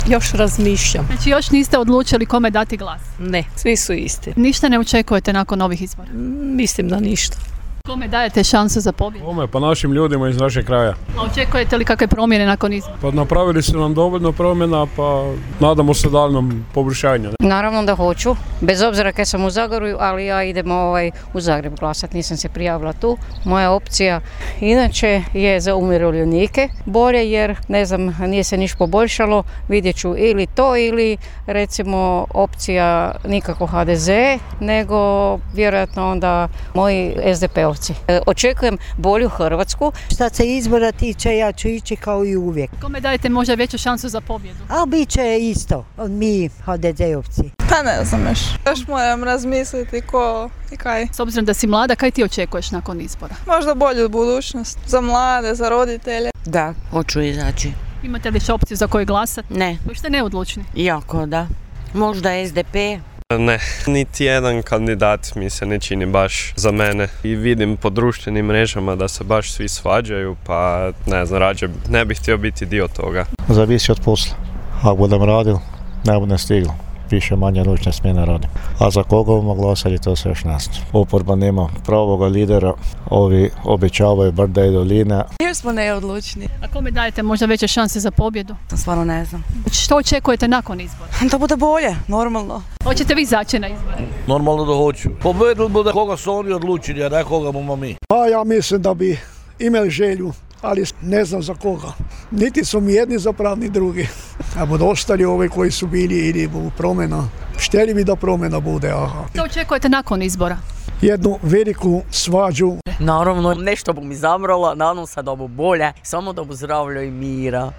Još razmišljam. Znači još niste odlučili kome dati glas? Ne, svi su isti. Ništa ne očekujete nakon ovih izbora? Mislim da ništa. Kome dajete šansu za pobjedu? Kome? Pa našim ljudima iz našeg kraja. A očekujete li kakve promjene nakon izbora? Pa napravili su nam dovoljno promjena, pa nadamo se daljnom poboljšanju. Naravno da hoću, bez obzira kad sam u Zagorju, ali ja idem u Zagreb glasati, nisam se prijavila tu. Moja opcija inače je za umirovljenike bolje jer ne znam, nije se niš poboljšalo, vidjet ću ili to ili recimo opcija nikako HDZ, nego vjerojatno onda moji SDP-ovci. Očekujem bolju Hrvatsku. Što se izbora tiče, ja ću ići kao i uvijek. Kome dajete možda veću šansu za pobjedu? A bit će isto, mi HDZ-ovci. Pa ne znam još moram razmisliti ko i kaj. S obzirom da si mlada, kaj ti očekuješ nakon izbora? Možda bolju budućnost za mlade, za roditelje. Da, hoću izaći. Imate li opciju za koju glasati? Ne. Vi ste neodlučni? Jako da. Možda SDP. Ne, niti jedan kandidat mi se ne čini baš za mene i vidim po društvenim mrežama da se baš svi svađaju, pa ne znam, rađe ne bih htio biti dio toga. Zavisi od posla. Ako budem radil, ne budem stiglo. Više manje ručne smjene radim. A za koga bomo glasali, to se još ne zna. Oporba nema pravoga lidera, ovi obećavaju brda i doline. Još smo neodlučni. A kome dajete možda veće šanse za pobjedu? Stvarno ne znam. Što očekujete nakon izbora? Da bude bolje, normalno. Hoćete vi izaći na izbore? Normalno da hoću. Pobedili bude koga su oni odlučili, a ne koga bomo mi. Pa ja mislim da bi imali želju, ali ne znam za koga. Niti su mi jedni zapravo, ni drugi. A budu ostali ovi koji su bili ili u promjena. Šteli bi da promjena bude, aha. Što očekujete nakon izbora? Jednu veliku svađu. Naravno, nešto bu mi zamrlo, nadam se da bu bolje, samo da bu zdravlja i mira.